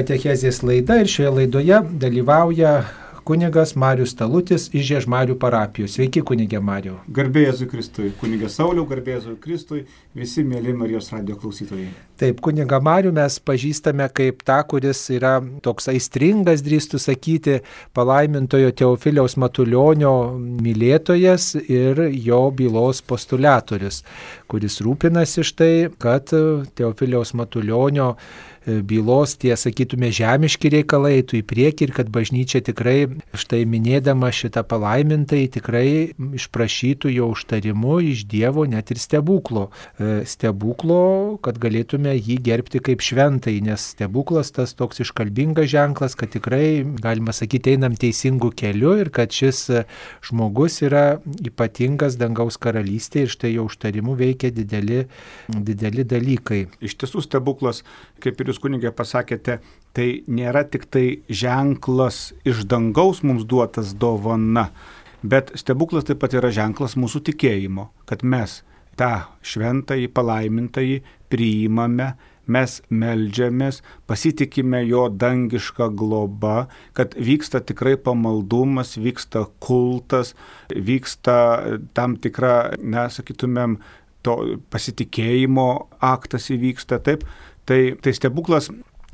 Katechezės laida ir šioje laidoje dalyvauja kunigas Marius Talutis iš Žiežmarių parapijos. Sveiki, kunigė Mariau. Garbė Jėzui Kristui. Kunigas Sauliau, garbė Jėzui Kristui, visi mėly Marijos radijo klausytojai. Taip, kunigą Marių mes pažįstame kaip tą, kuris yra toks aistringas, drįstų sakyti, palaimintojo Teofiliaus Matulionio mylėtojas ir jo bylos postuliatorius, kuris rūpinasi štai, kad Teofiliaus Matulionio bylos tie, sakytume, žemiški reikalai eitų į priekį ir kad bažnyčia tikrai, štai minėdama šitą palaimintai, tikrai išprašytų jo užtarimu iš Dievo net ir stebuklo. Stebuklo, kad galėtume jį gerbti kaip šventai, nes stebuklas tas toks iškalbingas ženklas, kad tikrai, galima sakyti, einam teisingų kelių ir kad šis žmogus yra ypatingas dangaus karalystė ir štai jo užtarimu veikia dideli dalykai. Iš tiesų stebuklas, kaip ir jūs kunigė pasakėte, tai nėra tik tai ženklas iš dangaus mums duotas dovana, bet stebuklas taip pat yra ženklas mūsų tikėjimo, kad mes tą šventąjį palaimintąjį priimame, mes meldžiamės, pasitikime jo dangišką globą, kad vyksta tikrai pamaldumas, vyksta kultas, vyksta tam tikra, sakytumėm, to pasitikėjimo aktas įvyksta, taip. Tai stebuklas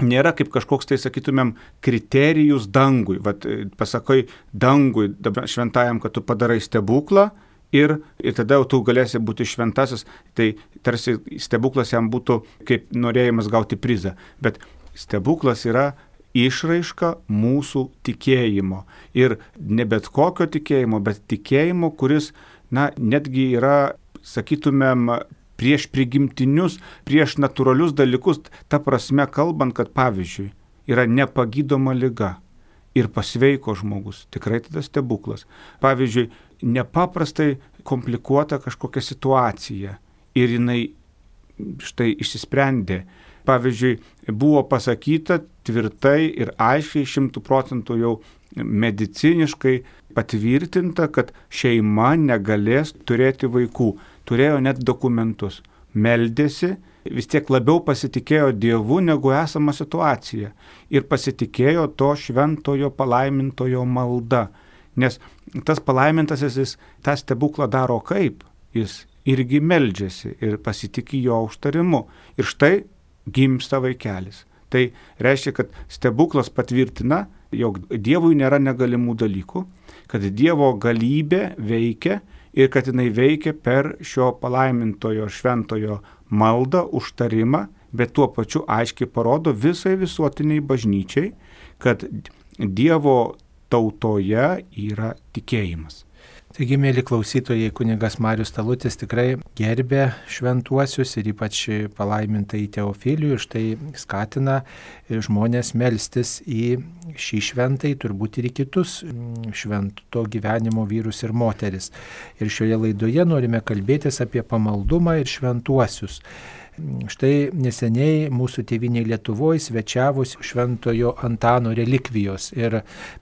nėra kaip kažkoks, tai sakytumėm, kriterijus dangui. Vat pasakai dangui, šventajam, kad tu padarai stebuklą ir tada jau tu galėsi būti šventasis. Tai tarsi stebuklas jam būtų kaip norėjimas gauti prizą. Bet stebuklas yra išraiška mūsų tikėjimo. Ir ne bet kokio tikėjimo, bet tikėjimo, kuris, netgi yra, sakytumėm, prieš prigimtinius, prieš natūralius dalykus, ta prasme kalbant, kad pavyzdžiui yra nepagydoma liga ir pasveiko žmogus, tikrai tada stebuklas. Pavyzdžiui, nepaprastai komplikuota kažkokia situacija ir jinai štai išsisprendė. Pavyzdžiui, buvo pasakyta tvirtai ir aiškiai 100% jau mediciniškai patvirtinta, kad šeima negalės turėti vaikų. Turėjo net dokumentus. Meldėsi, vis tiek labiau pasitikėjo Dievu negu esama situacija. Ir pasitikėjo to šventojo palaimintojo malda. Nes tas palaimintasis, jis tą stebuklą daro kaip? Jis irgi meldžiasi ir pasitikė jo užtarimu. Ir štai gimsta vaikelis. Tai reiškia, kad stebuklas patvirtina, jog Dievui nėra negalimų dalykų, kad Dievo galybė veikia ir kad jinai veikia per šio palaimintojo šventojo maldą, užtarimą, bet tuo pačiu aiškiai parodo visai visuotiniai bažnyčiai, kad Dievo tautoje yra tikėjimas. Taigi, mėly klausytojai, kunigas Marius Talutis tikrai gerbė šventuosius ir ypač palaimintai Teofilijų ir štai skatina žmonės melstis į šį šventai, turbūt ir į kitus švento gyvenimo vyrus ir moteris. Ir šioje laidoje norime kalbėtis apie pamaldumą ir šventuosius. Štai neseniai mūsų tėvynėje Lietuvoje svečiavosi šventojo Antano relikvijos ir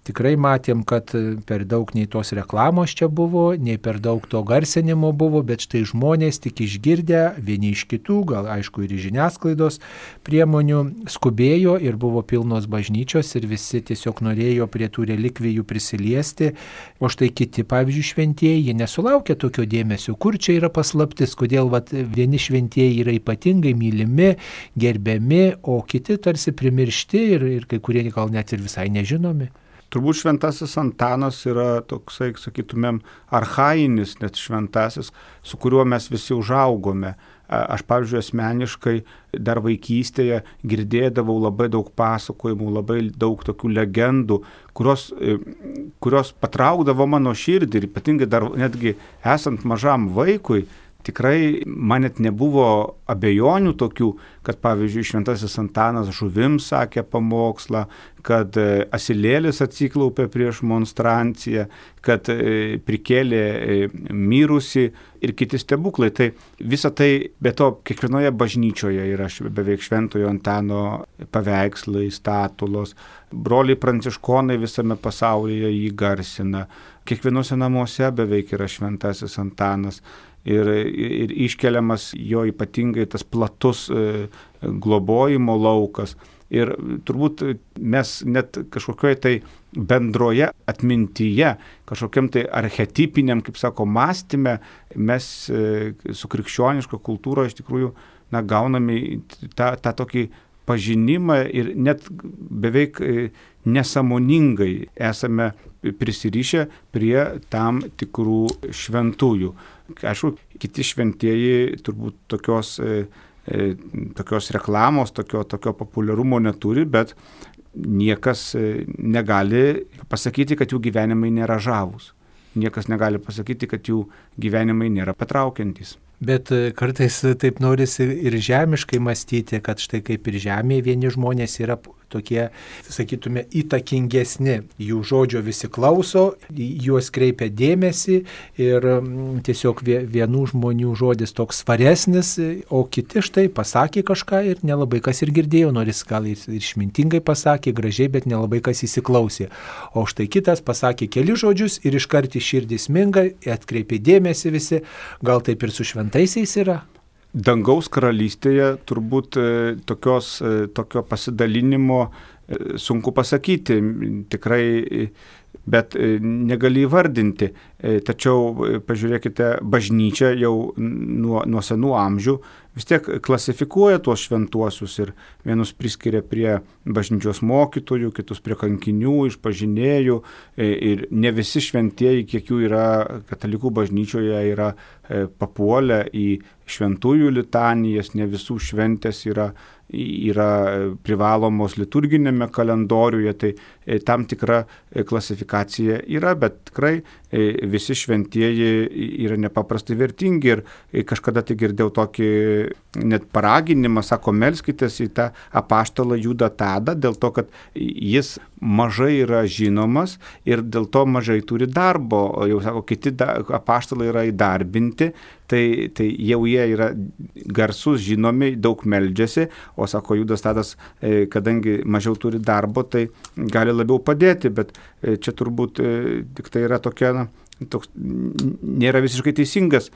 tikrai matėm, kad per daug nei tos reklamos čia buvo, nei per daug to garsinimo buvo, bet štai žmonės tik išgirdę vieni iš kitų, gal aišku ir žiniasklaidos priemonių, skubėjo ir buvo pilnos bažnyčios ir visi tiesiog norėjo prie tų relikvijų prisiliesti, o štai kiti, pavyzdžiui, šventieji nesulaukė tokio dėmesio, kur čia yra paslaptis, kodėl vieni šventieji yra ypatingi, mylimi, gerbiami, o kiti tarsi primiršti ir kai kurie gal net ir visai nežinomi. Turbūt šventasis Antanas yra toksai, sakytumėm, archainis net šventasis, su kuriuo mes visi užaugome. Aš, pavyzdžiui, asmeniškai dar vaikystėje girdėdavau labai daug pasakojimų, labai daug tokių legendų, kurios patraukdavo mano širdį ir ypatingai dar netgi esant mažam vaikui, tikrai man net nebuvo abejonių tokių, kad pavyzdžiui šventasis Antanas žuvims sakė pamokslą, kad asilėlis atsiklaupė prieš monstranciją, kad prikėlė mirusi ir kiti stebuklai. Tai visa tai, be to, kiekvienoje bažnyčioje yra beveik šventojo Antano paveikslai, statulos. Broliai pranciškonai visame pasaulyje jį garsina. Kiekvienose namuose beveik yra šventasis Antanas. Ir iškeliamas jo ypatingai tas platus globojimo laukas. Ir turbūt mes net kažkokioje tai bendroje atmintyje, kažkokiam tai archetipiniam, kaip sako, mąstyme, mes su krikščioniška kultūra iš tikrųjų gauname tą tokį pažinimą ir net beveik nesąmoningai esame prisirišę prie tam tikrų šventųjų. Aišku, kiti šventieji turbūt tokios reklamos, tokio populiarumo neturi, bet niekas negali pasakyti, kad jų gyvenimai nėra žavūs. Niekas negali pasakyti, kad jų gyvenimai nėra patraukiantys. Bet kartais taip norisi ir žemiškai mąstyti, kad štai kaip ir žemėje vieni žmonės yra tokie, sakytume, įtakingesni. Jų žodžio visi klauso, juos kreipia dėmesį ir tiesiog vienų žmonių žodis toks svaresnis, o kiti štai pasakė kažką ir nelabai kas ir girdėjo, nors gal ir išmintingai pasakė, gražiai, bet nelabai kas įsiklausė. O štai kitas pasakė keli žodžius ir iškart į širdį sminga, atkreipė dėmesį visi, gal taip ir su šventaisiais yra? Dangaus karalystėje turbūt tokio pasidalinimo sunku pasakyti, tikrai, bet negali įvardinti. Tačiau pažiūrėkite, bažnyčia jau nuo senų amžių vis tiek klasifikuoja tuos šventuosius ir vienus priskiria prie bažnyčios mokytojų, kitus prie kankinių, išpažinėjų ir ne visi šventieji, kiek jų yra katalikų bažnyčioje, yra papuolę į šventųjų litanijas, ne visų šventės yra privalomos liturginėme kalendoriuje, tai tam tikra klasifikacija yra, bet tikrai visi šventieji yra nepaprastai vertingi ir kažkada tai girdėjau tokį net paraginimą, sako, melskitės į tą apaštalą Judą Tadą, dėl to, kad jis mažai yra žinomas ir dėl to mažai turi darbo, o jau sako, kiti apaštalai yra įdarbinti, tai jau jie yra garsus, žinomi, daug meldžiasi, o sako, Judas Tadas, kadangi mažiau turi darbo, tai gali labiau padėti, bet čia turbūt tik tai yra tokia, toks nėra visiškai teisingas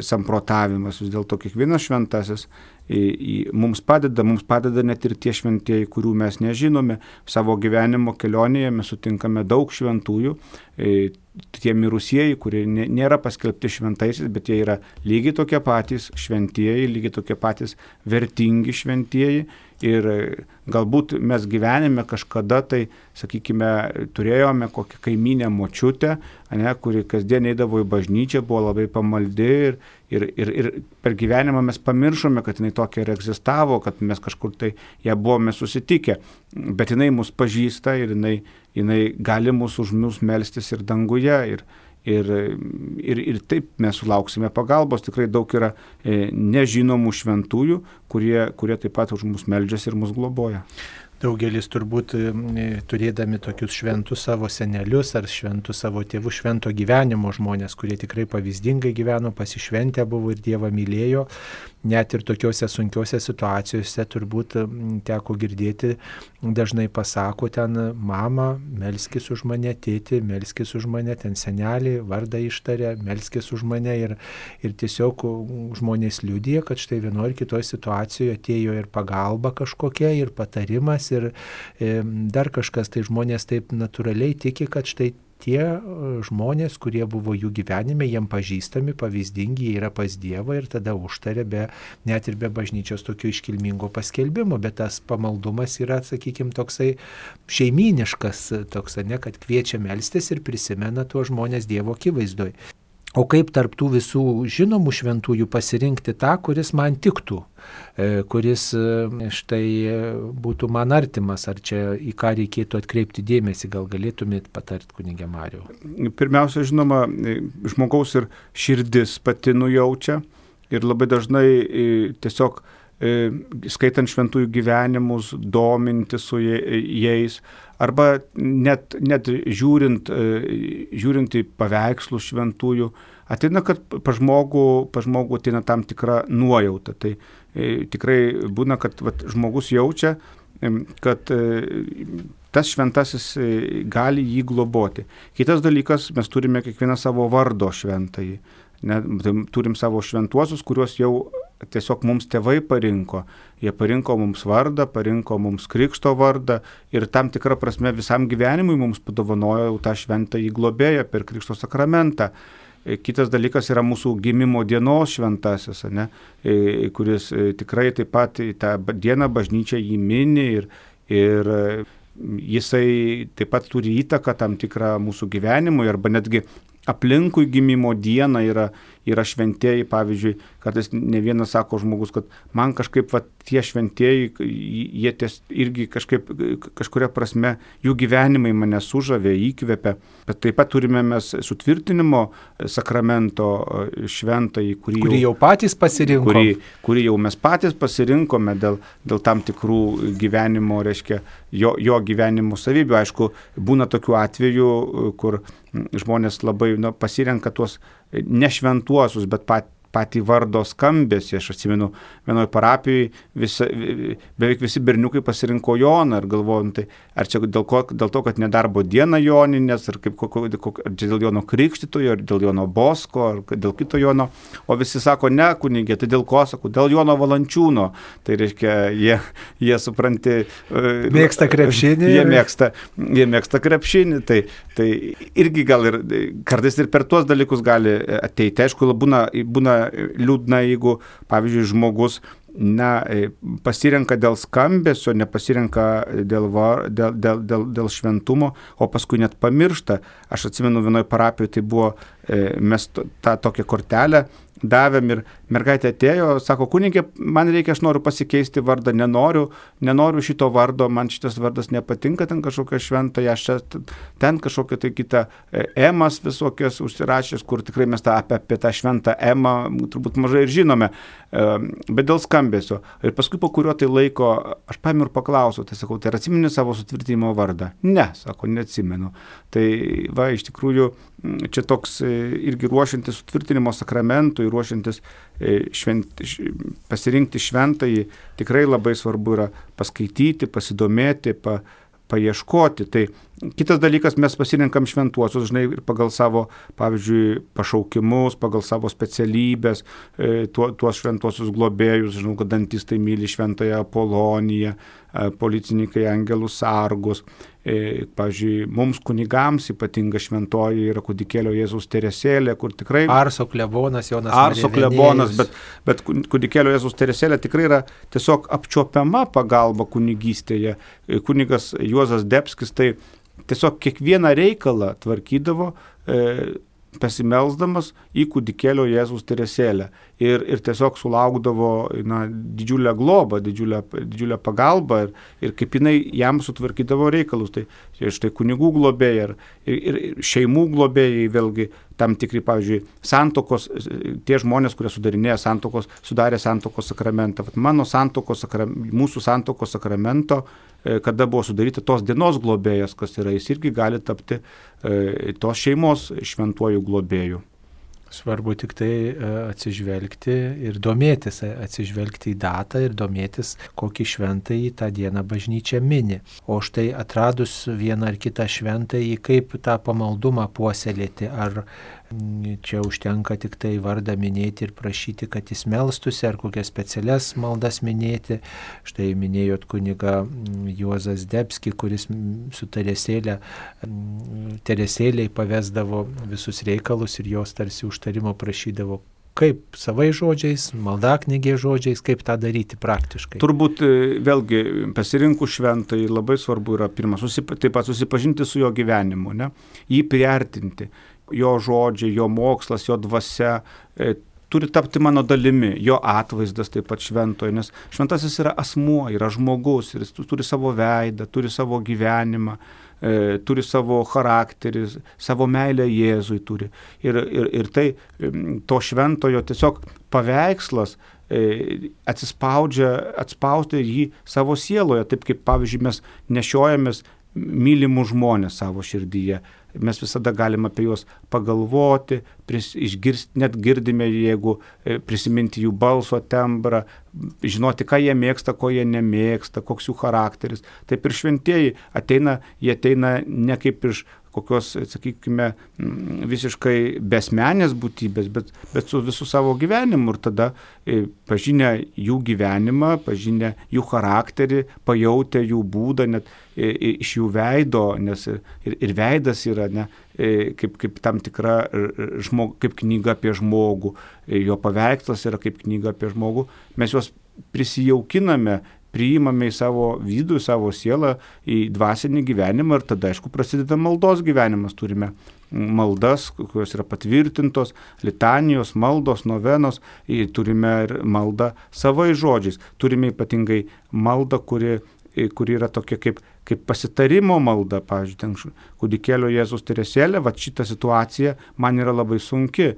samprotavimas, vis dėlto kiekvienas šventasis mums padeda net ir tie šventieji, kurių mes nežinome. Savo gyvenimo kelionėje mes sutinkame daug šventųjų, tie mirusieji, kurie nėra paskelbti šventaisiais, bet jie yra lygiai tokie patys šventieji, lygiai tokie patys vertingi šventieji. Ir galbūt mes gyvenime kažkada tai, sakykime, turėjome kokią kaimynę močiutę, kuri kasdien eidavo į bažnyčią, buvo labai pamaldi ir per gyvenimą mes pamiršome, kad jinai tokia ir egzistavo, kad mes kažkur tai ją buvome susitikę, bet jinai mus pažįsta ir jinai gali mus už mus melstis ir danguje ir taip mes sulauksime pagalbos. Tikrai daug yra nežinomų šventųjų, kurie taip pat už mus meldžiasi ir mus globoja. Daugelis turbūt turėdami tokius šventus savo senelius ar šventus savo tėvų švento gyvenimo žmonės, kurie tikrai pavyzdingai gyveno, pasišventę buvo ir Dievą mylėjo, net ir tokiuose sunkiuose situacijose turbūt teko girdėti, dažnai pasako ten, mama, melskis už mane, tėti, melskis už mane, ten senelį, vardą ištarė, melskis už mane ir tiesiog žmonės liudija, kad štai vienoje ir kitoje situacijoje atėjo ir pagalba kažkokia, ir patarimas, ir dar kažkas, tai žmonės taip natūraliai tiki, kad štai tie žmonės, kurie buvo jų gyvenime, jiem pažįstami, pavyzdingi, jie yra pas Dievą ir tada užtarė net ir be bažnyčios tokio iškilmingo paskelbimo, bet tas pamaldumas yra, sakykime, toksai šeimyniškas, toks, kad kviečia melstis ir prisimena tuos žmonės Dievo akivaizdoje. O kaip tarptų visų žinomų šventųjų pasirinkti tą, kuris man tiktų, kuris štai būtų man artimas, ar čia į ką reikėtų atkreipti dėmesį, gal galėtumėt patart, kunige Mariau? Pirmiausia, žinoma, žmogaus ir širdis pati nujaučia ir labai dažnai tiesiog skaitant šventųjų gyvenimus, dominti su jais, arba net žiūrint į paveikslų šventųjų, ateina, kad pa žmogų ateina tam tikra nuojauta. Tai tikrai būna, kad žmogus jaučia, kad tas šventasis gali jį globoti. Kitas dalykas, mes turime kiekvieną savo vardo šventąjį. Turim savo šventuosius, kuriuos jau tiesiog mums tėvai parinko. Jie parinko mums vardą, parinko mums krikšto vardą ir tam tikrą prasme visam gyvenimui mums padovanojo tą šventąjį globėją per krikšto sakramentą. Kitas dalykas yra mūsų gimimo dienos šventasis, kuris tikrai taip pat tą dieną bažnyčia jį mini ir jisai taip pat turi įtaką tam tikrą mūsų gyvenimui arba netgi aplinkui gimimo dieną yra šventieji, pavyzdžiui, kartais ne vienas sako žmogus, kad man kažkaip tie šventieji, jie irgi kažkuria prasme, jų gyvenimai mane sužavė, įkvėpė, bet taip pat turime mes sutvirtinimo sakramento šventąjį, kurį jau patys pasirinkome. Kurį jau mes patys pasirinkome dėl tam tikrų gyvenimo, reiškia, jo gyvenimo savybių. Aišku, būna tokių atvejų, kur žmonės labai pasirenka tuos nešventuosius, bet patį vardo skambesį. Aš atsimenu, vienoje parapijoje beveik visi berniukai pasirinko Joną ir galvojom, tai ar čia dėl to, kad nedarbo diena Joninės, ar ar dėl Jono Krikštytojo, ar dėl Jono Bosko, ar dėl kito Jono. O visi sako, ne, kunigė, tai dėl ko, sako, dėl Jono Valančiūno. Tai reiškia, jie supranti... Mėgsta krepšinį. Jie mėgsta krepšinį. Tai irgi gal ir kartais ir per tuos dalykus gali ateiti. Aišku, būna liūdna, jeigu, pavyzdžiui, žmogus pasirenka dėl skambesio, nepasirenka dėl šventumo, o paskui net pamiršta. Aš atsimenu, vienoje parapijoje tai buvo, mes tą tokią kortelę davėm ir mergaitė atėjo, sako, kunigė, man reikia, aš noriu pasikeisti vardą, nenoriu šito vardo, man šitas vardas nepatinka, ten kažkokia šventa, aš ten kažkokia tai kita emas visokios užsirašęs, kur tikrai mes apie tą šventą emą turbūt mažai ir žinome, bet dėl skambesio. Ir paskui po kurio tai laiko aš paėmiau ir paklausiau, tai sakau, tai atsimeni savo sutvirtinimo vardą? Ne, sako, neatsimenu. Tai iš tikrųjų, čia toks irgi ruošiantis sutvirtinimo sakramentui, ruošiantis pasirinkti šventąjį, tikrai labai svarbu yra paskaityti, pasidomėti, paieškoti. Tai kitas dalykas, mes pasirinkam šventuosius, ir pagal savo, pavyzdžiui, pašaukimus, pagal savo specialybės, tuos šventuosius globėjus, žinau, kad dantistai myli šventąją Apoloniją, policininkai angelus sargus. Pavyzdžiui, mums kunigams ypatinga šventoji yra kūdikėlio Jėzaus Teresėlė, kur tikrai... Arso klebonas Jonas Marija klebonas, bet kūdikėlio Jėzaus Teresėlė tikrai yra tiesiog apčiuopiama pagalba kunigystėje. Kunigas Juozas Debskis tai tiesiog kiekvieną reikalą tvarkydavo pasimelsdamas į kūdikėlio Jėzaus Teresėlę ir tiesiog sulaukdavo didžiulę globą, didžiulę pagalbą ir kaip jinai jam sutvarkydavo reikalus. Tai štai kunigų globėjai ir šeimų globėjai vėlgi tam tikri, pavyzdžiui, santokos, tie žmonės, kurie sudarė santokos sakramentą. Mūsų santokos sakramento, kada buvo sudaryta tos dienos globėjas, kas yra, jis irgi gali tapti tos šeimos šventuoju globėju. Svarbu tik tai atsižvelgti ir domėtis, atsižvelgti į datą ir domėtis, kokį šventąjį tą dieną bažnyčia mini. O štai atradus vieną ar kitą šventąjį, kaip tą pamaldumą puoselėti, ar čia užtenka tik tai vardą minėti ir prašyti, kad jis melstųsi, ar kokias specialias maldas minėti. Štai minėjot kunigą Juozas Debskį, kuris su Teresėlei pavesdavo visus reikalus ir jos tarsi užtarimo prašydavo. Kaip savai žodžiais, maldaknygės žodžiais, kaip tą daryti praktiškai? Turbūt vėlgi pasirinkus šventąjį labai svarbu yra pirmas, taip pat susipažinti su jo gyvenimu, jį priartinti. Jo žodžiai, jo mokslas, jo dvasia turi tapti mano dalimi, jo atvaizdas taip pat šventoje, nes šventasis yra asmuo, yra žmogus ir jis turi savo veidą, turi savo gyvenimą, turi savo charakterį, savo meilę Jėzui turi. Ir tai to šventojo tiesiog paveikslas atspausti jį savo sieloje, taip kaip, pavyzdžiui, mes nešiojamės mylimų žmonės savo širdyje. Mes visada galime apie juos pagalvoti, išgirsti, net girdime, jeigu prisiminti jų balso tembrą, žinoti, ką jie mėgsta, ko jie nemėgsta, koks jų charakteris. Taip ir šventieji jie ateina ne kaip iš kokios, sakykime, visiškai besmenės būtybės, bet su visų savo gyvenimu. Ir tada pažinę jų gyvenimą, pažinę jų charakterį, pajautę jų būdą, net iš jų veido, nes ir veidas yra kaip tam tikra kaip knyga apie žmogų, jo paveikslas yra kaip knyga apie žmogų, mes juos prisijaukiname, priimame į savo vidų, į savo sielą, į dvasinį gyvenimą ir tada, aišku, prasideda maldos gyvenimas. Turime maldas, kurios yra patvirtintos, litanijos, maldos, novenos, turime ir maldą savais žodžiais. Turime ypatingai maldą, kuri yra tokia kaip pasitarimo malda, pavyzdžiui, ten kūdikėlio Jėzus Teresėlė, va šita situacija man yra labai sunki,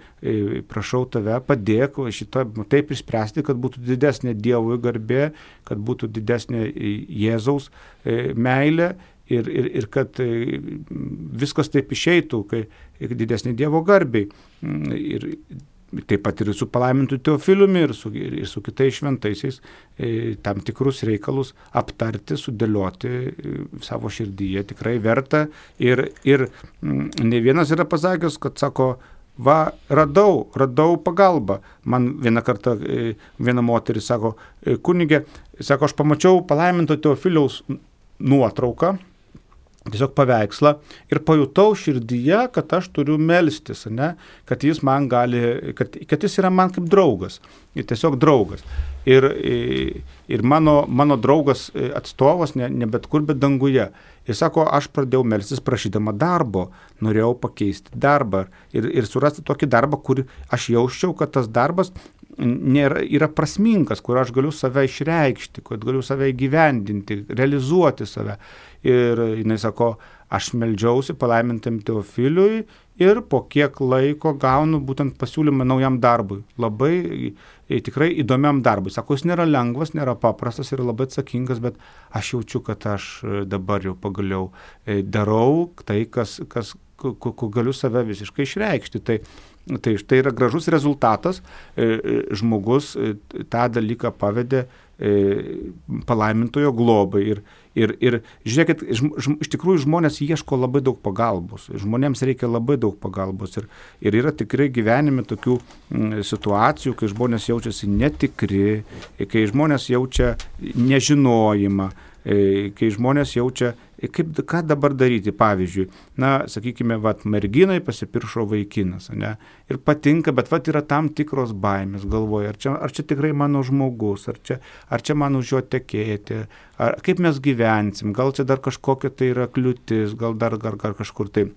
prašau tave, padėk šitą taip išspręsti, kad būtų didesnė Dievui garbė, kad būtų didesnė Jėzaus meilė ir kad viskas taip išeitų, kai didesnė Dievo garbei. Ir taip pat ir su palaimintu Teofiliumi ir su kitais šventaisiais tam tikrus reikalus aptarti, sudėlioti savo širdyje tikrai verta. Ir ne vienas yra pasakęs, kad sako, va, radau pagalbą. Man vieną kartą viena moteris sako, kunige, sako, aš pamačiau palaiminto Teofiliaus nuotrauką, tiesiog paveikslą ir pajutau širdyje, kad aš turiu melstis, kad jis man gali, kad jis yra man kaip draugas, tiesiog draugas. Ir mano draugas atstovas ne bet kur, bet danguje. Ir sako, aš pradėjau melstis prašydama darbo, norėjau pakeisti darbą ir surasti tokį darbą, kur aš jausčiau, kad tas darbas yra prasmingas, kur aš galiu save išreikšti, kad galiu save įgyvendinti, realizuoti save. Ir jinai sako, aš meldžiausi palaimintam Teofiliui ir po kiek laiko gaunu būtent pasiūlymą naujam darbui. Labai tikrai įdomiam darbui. Sako, jis nėra lengvas, nėra paprastas, yra labai atsakingas, bet aš jaučiu, kad aš dabar jau pagaliau darau tai, ko galiu save visiškai išreikšti. Tai štai yra gražus rezultatas, žmogus tą dalyką pavedė palaimintojo globai ir žiūrėkit, iš tikrųjų žmonės ieško labai daug pagalbos, žmonėms reikia labai daug pagalbos ir yra tikrai gyvenime tokių situacijų, kai žmonės jaučiasi netikri, kai žmonės jaučia nežinojimą, kai žmonės jaučia, ką dabar daryti, pavyzdžiui, sakykime, merginai pasipiršo vaikinas, ir patinka, bet yra tam tikros baimės, galvoja, ar čia tikrai mano žmogus, ar čia man už jo tekėti, kaip mes gyvensim, gal čia dar kažkokia tai yra kliūtis, gal dar kažkur tai.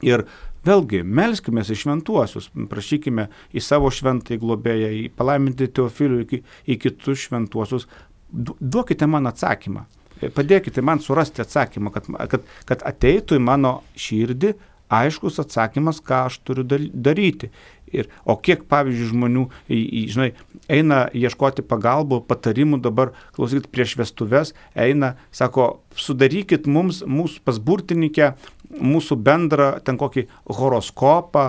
Ir vėlgi, melskime į šventuosius, prašykime į savo šventąjį globėją, į palaimintį Teofilių, į kitus šventuosius, duokite man atsakymą. Padėkite man surasti atsakymą, kad ateitų į mano širdį aiškus atsakymas, ką aš turiu daryti. O kiek, pavyzdžiui, žmonių eina ieškoti pagalbų, patarimų dabar, klausykit, prieš vestuves, eina, sako, sudarykit mūsų pas burtininkę, mūsų bendrą ten kokį horoskopą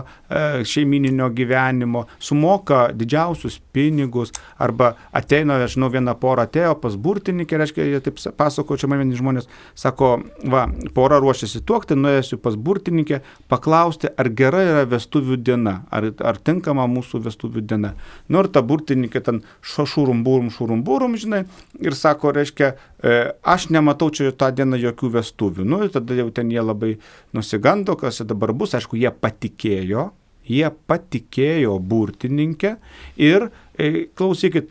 šeimininio gyvenimo, sumoka didžiausius pinigus, arba ateina, viena pora atėjo pas burtininkę, reiškia, jie taip pasako, čia man vieni žmonės, sako, pora ruošiasi tuokti, nuėjusiu pas burtininkę, paklausti, ar gera yra vestuvių diena, ar tinkama mūsų vestuvių diena. Ir ta burtininkė ten šurumburum, ir sako, reiškia, aš nematau čia tą dieną jokių vestuvių. Ir tada jau ten jie labai nusigando, kas dabar bus. Aišku, jie patikėjo burtininkę ir, klausykit,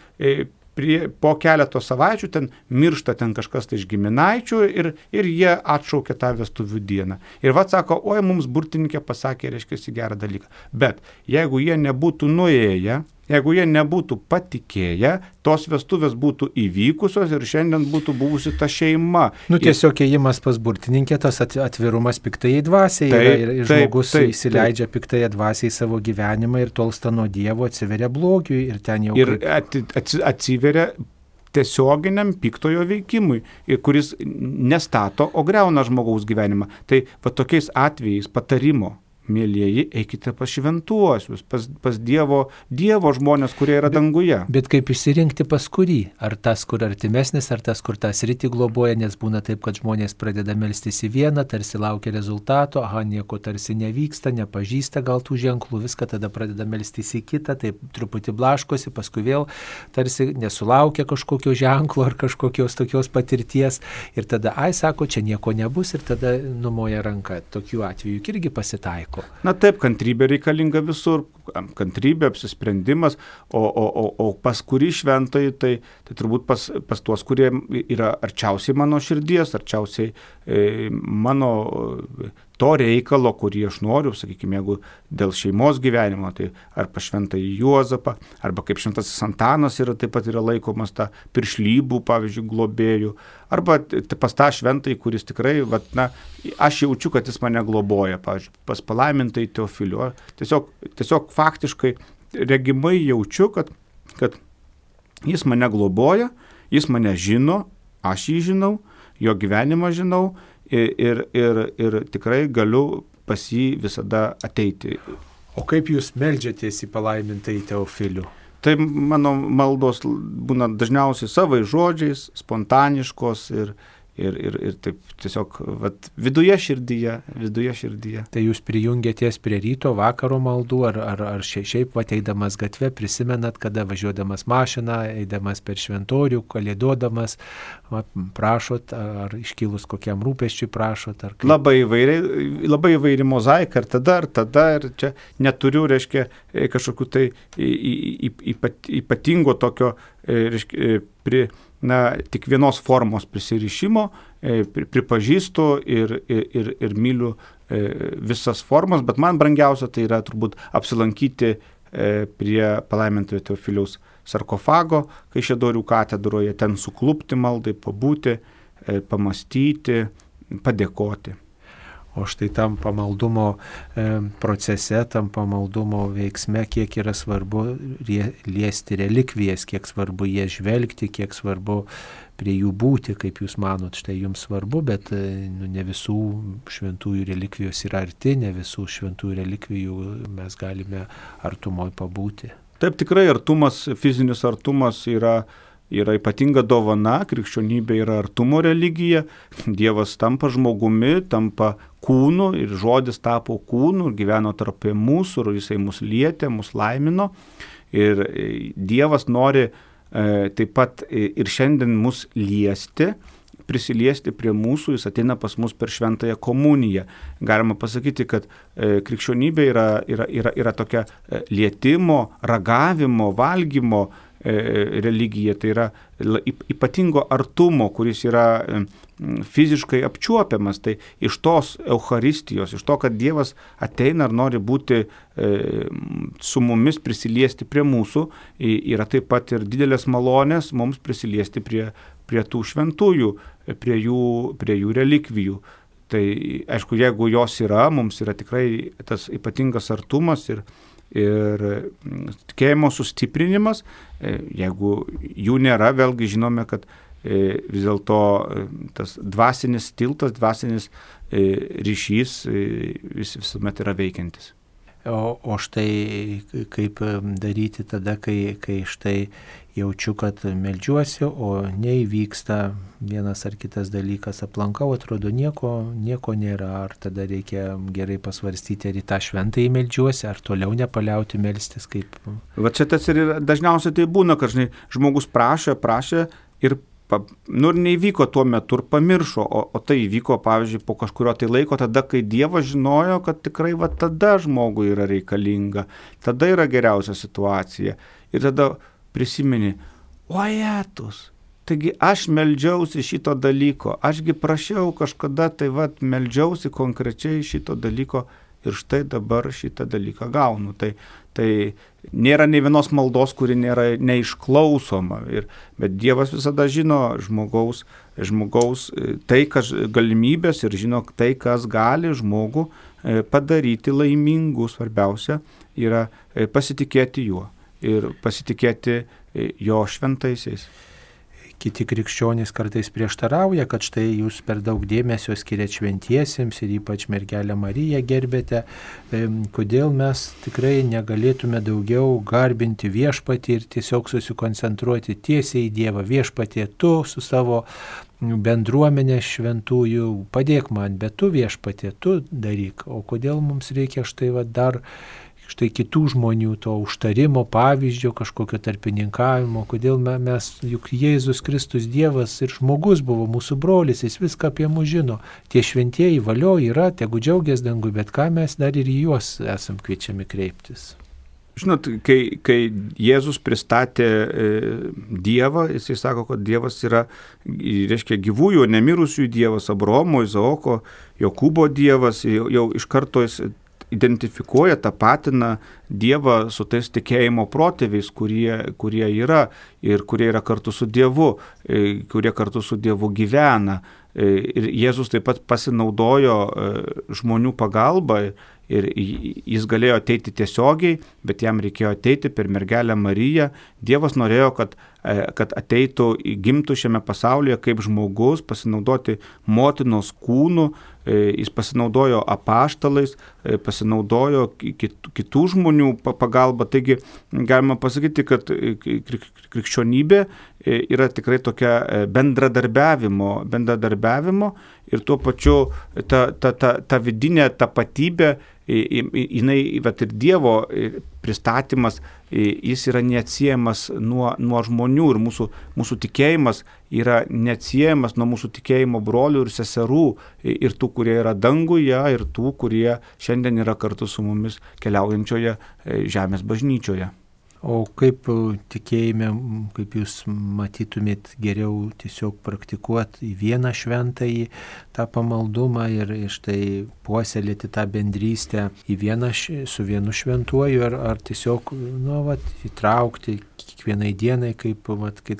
po keleto savaičių ten miršta kažkas tai iš giminaičių ir jie atšaukia tą vestuvių dieną. Ir sako, oi, mums burtininkė pasakė, reiškia, gerą dalyką. Bet jeigu jie nebūtų nuėję, jeigu jie nebūtų patikėję, tos vestuvės būtų įvykusios ir šiandien būtų buvusi ta šeima. Tiesiog ėjimas pas burtininkę, tas atvirumas piktai dvasiai ir žmogus įsileidžia piktai dvasiai savo gyvenimą ir tolsta nuo Dievo, atsiveria blogiui ir ten jau... Ir atsiveria tiesioginiam piktojo veikimui, kuris nestato, o greuna žmogaus gyvenimą. Tai tokiais atvejais patarimo Mėlyjeji, eikite pas šventuosius, pas Dievo žmonės, kurie yra danguje. Bet kaip išsirinkti pas kurį? Ar tas, kur artimesnis, ar tas, kur tą sritį globoja, nes būna taip, kad žmonės pradeda melstis į vieną, tarsi laukia rezultato, nieko tarsi nevyksta, nepažįsta gal tų ženklų, viską tada pradeda melstis į kitą, taip truputį blaškosi, paskui vėl tarsi nesulaukia kažkokio ženklo ar kažkokios tokios patirties ir tada, sako, čia nieko nebus ir tada numoja ranką. Tokių atvejų irgi pasitaiko. Na taip, kantrybė reikalinga visur, kantrybė, apsisprendimas, o pas kurį šventąjį, tai turbūt pas tuos, kurie yra arčiausiai mano širdies, arčiausiai mano to reikalo, kurį aš noriu, sakykime, jeigu dėl šeimos gyvenimo, tai ar pas šventąjį Juozapą, arba kaip šventasis Antanas taip pat yra laikomas tą piršlybų, pavyzdžiui, globėjų, arba pas tą šventąjį, kuris tikrai, aš jaučiu, kad jis mane globoja, pavyzdžiui, pas palaimintąjį Teofilių. Tiesiog faktiškai regimai jaučiu, kad jis mane globoja, jis mane žino, aš jį žinau, jo gyvenimą žinau, ir tikrai galiu pas jį visada ateiti. O kaip jūs meldžiatės į palaimintąjį Teofilių? Tai mano maldos būna dažniausiai savai žodžiais, spontaniškos ir taip tiesiog viduje širdyje. Tai jūs prijungiatės prie ryto, vakaro maldų, ar šiaip ateidamas gatve prisimenat, kada važiuodamas mašiną, eidamas per šventorių, kalėdodamas, prašot, ar iškilus kokiam rūpesčiui prašot? Ar kaip? Labai įvairi mozaika, ir tada, ir čia neturiu, reiškia, kažkokiu tai ypatingo tokio, reiškia, tik vienos formos prisirišimo, pripažįstu ir myliu visas formas, bet man brangiausia tai yra turbūt apsilankyti prie palaimintojo Teofiliaus sarkofago, Kaišiadorių katedroje, ten suklupti maldai, pabūti, pamastyti, padėkoti. O štai tam pamaldumo procese, tam pamaldumo veiksme, kiek yra svarbu liesti relikvijas, kiek svarbu jie žvelgti, kiek svarbu prie jų būti, kaip jūs manot, štai jums svarbu, bet ne visų šventųjų relikvijos yra arti, ne visų šventųjų relikvijų mes galime artumoje pabūti. Taip, tikrai artumas, fizinis artumas yra ypatinga dovana, krikščionybė yra artumo religija, Dievas tampa žmogumi, tampa kūnu ir žodis tapo kūnu ir gyveno tarp mūsų ir jisai mus lietė, mus laimino ir Dievas nori taip pat ir šiandien mus liesti, prisiliesti prie mūsų, jis ateina pas mus per šventąją komuniją. Galima pasakyti, kad krikščionybė yra tokia lietimo, ragavimo, valgymo religija, tai yra ypatingo artumo, kuris yra fiziškai apčiuopiamas. Tai iš tos Eucharistijos, iš to, kad Dievas ateina ir nori būti su mumis, prisiliesti prie mūsų, yra taip pat ir didelės malonės mums prisiliesti prie tų šventųjų, prie jų relikvijų. Tai aišku, jeigu jos yra, mums yra tikrai tas ypatingas artumas ir tikėjimo sustiprinimas. Jeigu jų nėra, vėlgi žinome, kad vis dėlto tas dvasinis tiltas, dvasinis ryšys visuomet yra veikiantis. O štai kaip daryti tada, kai štai jaučiu, kad meldžiuosi, o neįvyksta vienas ar kitas dalykas, aplankau, atrodo nieko nėra, ar tada reikia gerai pasvarstyti, ar į tą šventąjį meldžiuosi, ar toliau nepaliauti melstis kaip... Va čia tas ir dažniausiai tai būna, kad žmogus prašė ir neįvyko tuo metu ir pamiršo, o tai įvyko, pavyzdžiui, po kažkurio tai laiko, tada, kai Dievas žinojo, kad tikrai tada žmogui yra reikalinga, tada yra geriausia situacija. Ir tada prisimeni, taigi aš meldžiausi šito dalyko, ašgi prašiau kažkada, tai meldžiausi konkrečiai šito dalyko ir štai dabar šitą dalyką gaunu. Tai nėra nei vienos maldos, kuri nėra neišklausoma, bet Dievas visada žino žmogaus tai, kas galimybės ir žino tai, kas gali žmogų padaryti laimingu. Svarbiausia yra pasitikėti juo ir pasitikėti jo šventaisiais. kiti krikščionys kartais prieštarauja, kad štai jūs per daug dėmesio skiriat šventiesiems ir ypač mergelę Mariją gerbėte. Kodėl mes tikrai negalėtume daugiau garbinti viešpatį ir tiesiog susikoncentruoti tiesiai į Dievą. Viešpatie, tu su savo bendruomenė šventųjų padėk man, bet tu viešpatie, tu daryk. O kodėl mums reikia štai dar kitų žmonių to užtarimo, pavyzdžio, kažkokio tarpininkavimo, kodėl mes, juk Jėzus Kristus Dievas ir žmogus buvo mūsų brolis, jis viską apie mus žino. Tie šventieji valio yra, tegu džiaugias dangui, bet ką mes dar ir į juos esam kviečiami kreiptis. Žinot, kai Jėzus pristatė Dievą, jisai sako, kad Dievas yra, reiškia, gyvųjų, nemirusiųjų Dievas, Abraomo, Izaoko, Jokūbo Dievas, jau iš karto jis identifikuoja, tapatina Dievą su tais tikėjimo protėviais, kurie yra ir kurie yra kartu su Dievu, kurie kartu su Dievu gyvena. Ir Jėzus taip pat pasinaudojo žmonių pagalbą ir jis galėjo ateiti tiesiogiai, bet jam reikėjo ateiti per mergelę Mariją. Dievas norėjo, kad ateitų, gimtų šiame pasaulyje kaip žmogus, pasinaudoti motinos kūnu, jis pasinaudojo apaštalais, pasinaudojo kitų žmonių pagalba. Taigi galima pasakyti, kad krikščionybė yra tikrai tokia bendradarbiavimo ir tuo pačiu ta vidinė tapatybė, jinai, vat ir Dievo pristatymas, jis yra neatsiejamas nuo žmonių ir mūsų tikėjimas yra neatsiejamas nuo mūsų tikėjimo brolių ir seserų ir tų, kurie yra danguje ir tų, kurie šiandien yra kartu su mumis keliaujančioje žemės bažnyčioje. O kaip tikėjime, kaip jūs matytumėt geriau tiesiog praktikuoti į vieną šventąjį tą pamaldumą ir štai puoselėti tą bendrystę su vienu šventuoju ar tiesiog įtraukti kiekvienai dienai, kaip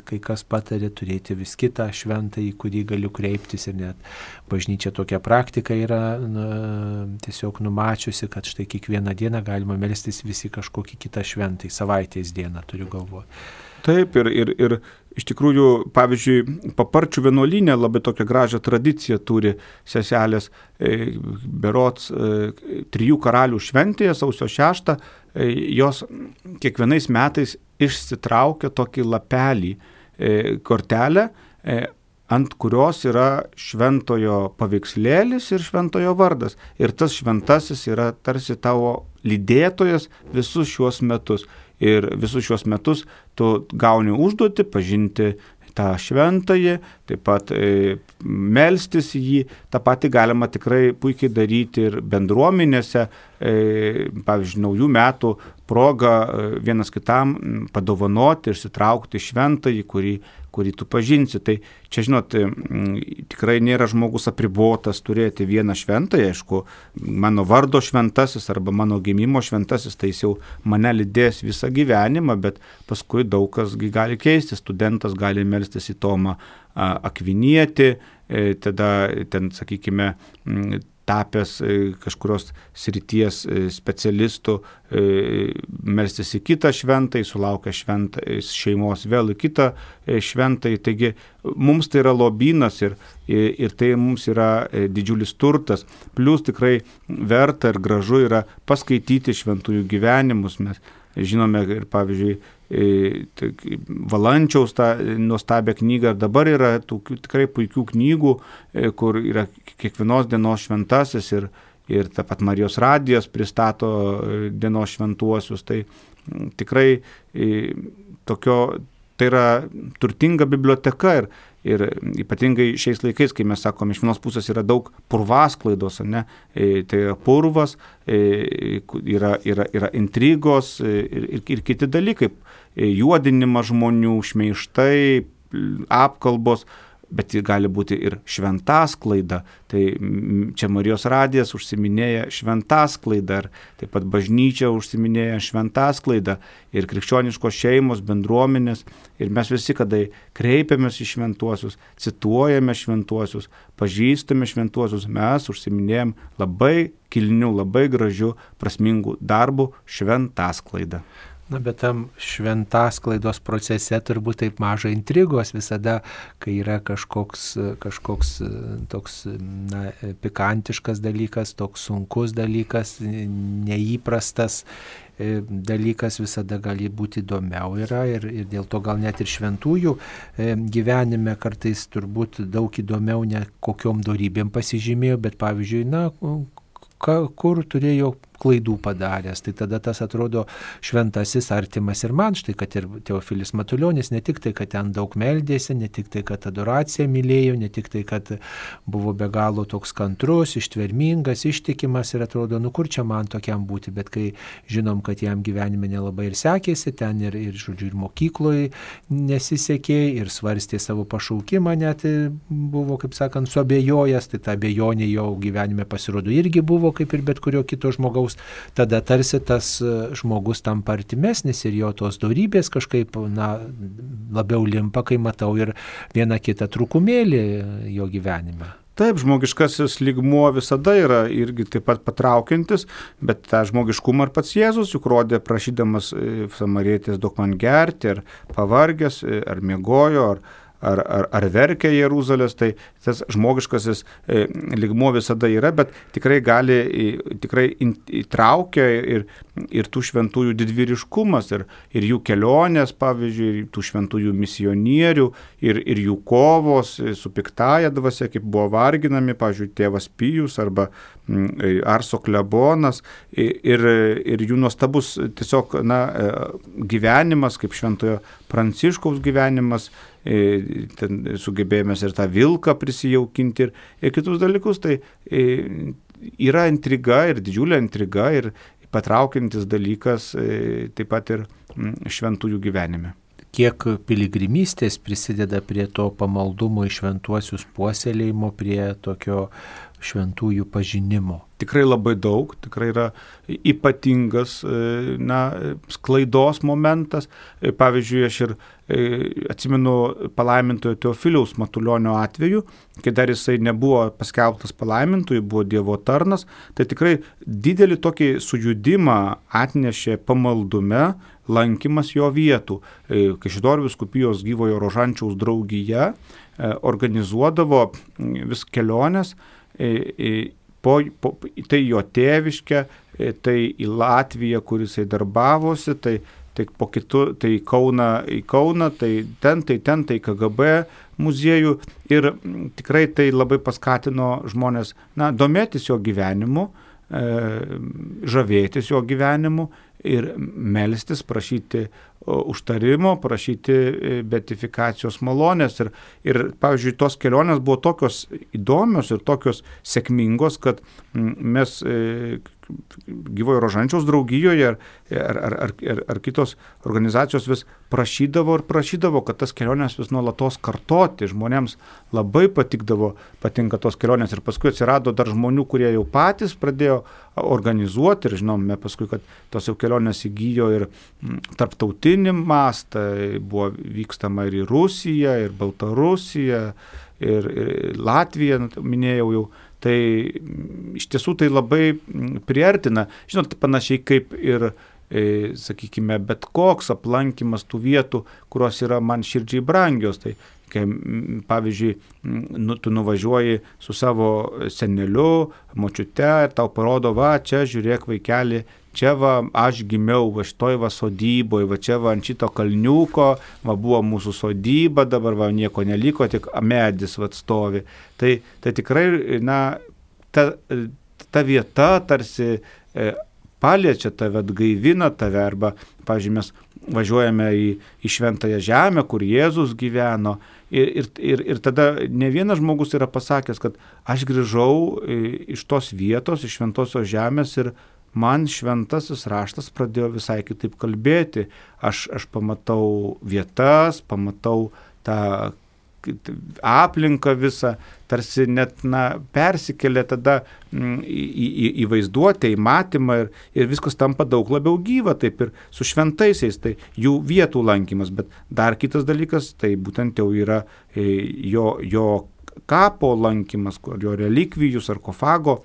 kai kas patarė, turėti vis kitą šventąjį, kurį galiu kreiptis ir net bažnyčia tokia praktika yra tiesiog numačiusi, kad štai kiekvieną dieną galima melstis visi kažkokį kitą šventąjį, savaitės dieną turiu galvoje. Taip, ir iš tikrųjų, pavyzdžiui, Paparčių vienuolyne labai tokią gražią tradiciją turi seselės, berods 3 karalių šventėje, sausio 6, jos kiekvienais metais išsitraukia tokį lapelį, kortelę, ant kurios yra šventojo paveikslėlis ir šventojo vardas. Ir tas šventasis yra tarsi tavo lydėtojas visus šiuos metus. Ir visus šiuos metus tu gauni užduotį pažinti tą šventąjį, taip pat melstis į jį. Ta pati galima tikrai puikiai daryti ir bendruomenėse, pavyzdžiui, naujų metų proga vienas kitam padovanoti ir sitraukti šventąjį, kurį tu pažinsi. Tai čia, žinot, tikrai nėra žmogus apribotas turėti vieną šventąjį, aišku, mano vardo šventasis arba mano gimimo šventasis, tai jis jau mane lydės visą gyvenimą, bet paskui daug kas gali keisti. Studentas gali melstis į Tomą Akvinietį, tada ten, sakykime, tapęs kažkurios srities specialistų, melstis į kitą šventąjį, sulaukia šeimos vėl į kitą šventąjį. Taigi mums tai yra lobynas ir tai mums yra didžiulis turtas. Plius tikrai verta ir gražu yra paskaityti šventųjų gyvenimus. Mes žinome ir, pavyzdžiui, Valančiaus tą nuostabią knygą, ir dabar yra tokių tikrai puikių knygų, kur yra kiekvienos dienos šventasis ir taip pat Marijos radijas pristato dienos šventuosius. Tai tikrai tai yra turtinga biblioteka ir ypatingai šiais laikais, kai mes sakome, iš vienos pusės yra daug purvasklaidos, ne? Tai yra purvas, yra intrigos ir kiti dalykai, juodinimas žmonių, šmeižtai, apkalbos, bet gali būti ir šventasklaida. Tai čia Marijos radijas užsiminėja šventasklaidą, ir taip pat bažnyčia užsiminėja šventasklaidą, ir krikščioniškos šeimos, bendruomenės, ir mes visi, kada kreipiamės į šventuosius, cituojame šventuosius, pažįstame šventuosius, mes užsiminėjam labai kilnių, labai gražių, prasmingų darbų šventasklaidą. Na, bet tam šventasklaidos procese turbūt taip maža intrigos visada, kai yra kažkoks toks pikantiškas dalykas, toks sunkus dalykas, neįprastas dalykas, visada gali būti įdomiau yra ir dėl to gal net ir šventųjų gyvenime kartais turbūt daug įdomiau ne kokiom dorybėm pasižymėjo, bet pavyzdžiui, kur turėjo klaidų padaręs, tai tada tas atrodo šventasis artimas ir man, štai kad ir Teofilis Matulionis, ne tik tai, kad ten daug meldėsi, ne tik tai, kad adoraciją mylėjo, ne tik tai, kad buvo be galo toks kantrus, ištvermingas, ištikimas ir atrodo, kur čia man tokiam būti, bet kai žinom, kad jam gyvenime nelabai ir sekėsi, ten ir žodžiu, ir mokykloje nesisekė, ir svarstė savo pašaukimą, net buvo, kaip sakant, suabejojęs, tai ta abejonė jo gyvenime pasirodo irgi buvo, kaip ir bet kurio kito žmogaus. Tada tarsi tas žmogus tampa artimesnis ir jo tos dorybės kažkaip labiau limpa, kai matau ir vieną kitą trūkumėlį jo gyvenime. Taip, žmogiškasis lygmuo visada yra irgi taip pat patraukiantis, bet tą žmogiškumą ir pats Jėzus juk rodė prašydamas samarietės duok man gerti, ar pavargęs, ar miegojo, ar verkia Jeruzalės, tai tas žmogiškasis lygmuo visada yra, bet tikrai įtraukia ir tų šventųjų didvyriškumas, ir jų kelionės, pavyzdžiui, tų šventųjų misionierių, ir jų kovos su piktaja dvasia, kaip buvo varginami, pavyzdžiui, tėvas Pijus arba Arso klebonas, ir jų nuostabus tiesiog gyvenimas, kaip šventojo Pranciškaus gyvenimas, ten sugebėjomės ir tą vilką prisijaukinti ir kitus dalykus, tai yra intriga ir didžiulė intriga ir patraukiantis dalykas taip pat ir šventųjų gyvenime. Kiek piligrimystės prisideda prie to pamaldumo į šventuosius puoselėjimo, prie tokio šventųjų pažinimo? Tikrai labai daug, tikrai yra ypatingas sklaidos momentas. Pavyzdžiui, aš ir atsimenu palaimintojo Teofiliaus Matulionio atveju, kai dar jisai nebuvo paskelbtas palaimintoju, buvo Dievo tarnas, tai tikrai didelį tokį sujudimą atnešė pamaldume lankymas jo vietų. Kaišiadorių vyskupijos Gyvojo Rožančiaus draugija organizuodavo vis keliones, tai jo tėviškę, tai į Latviją, kur jisai darbavosi, tai po kitų, tai į Kauną, tai ten, KGB muziejų ir tikrai tai labai paskatino žmonės domėtis jo gyvenimu, žavėtis jo gyvenimu ir melstis, prašyti užtarimo, prašyti beatifikacijos malonės. Ir pavyzdžiui, tos kelionės buvo tokios įdomios ir tokios sėkmingos, kad mes Gyvojo Rožančiaus draugijoje ar kitos organizacijos vis prašydavo, kad tas kelionės vis nuolatos kartoti. Žmonėms labai patinka tos kelionės ir paskui atsirado dar žmonių, kurie jau patys pradėjo organizuoti ir žinome paskui, kad tos jau kelionės įgyjo ir tarptautinį mastą, buvo vykstama ir į Rusiją, ir Baltarusiją, ir Latviją, minėjau jau. Tai iš tiesų tai labai priartina, žinot, panašiai kaip ir, sakykime, bet koks aplankymas tų vietų, kurios yra man širdžiai brangios. Tai kai, pavyzdžiui, tu nuvažiuoji su savo seneliu, močiute ir tau parodo, čia žiūrėk vaikeli, čia aš gimiau, šitoj sodyboje, čia ant šito kalniuko, buvo mūsų sodyba, dabar nieko neliko, tik medis stovi. Tai tikrai, ta vieta tarsi paliečia tave, atgaivina tave, arba, pavyzdžiui, mes važiuojame į Šventąją Žemę, kur Jėzus gyveno, ir tada ne vienas žmogus yra pasakęs, kad aš grįžau iš tos vietos, iš Šventosios Žemės ir man šventasis raštas pradėjo visai kitaip kalbėti. Aš pamatau vietas, pamatau tą aplinką visą, tarsi net persikelia tada į vaizduotę, į matymą ir viskas tampa daug labiau gyva, taip ir su šventaisiais, tai jų vietų lankymas. Bet dar kitas dalykas, tai būtent jau yra jo kapo lankymas, jo relikvijų, sarkofago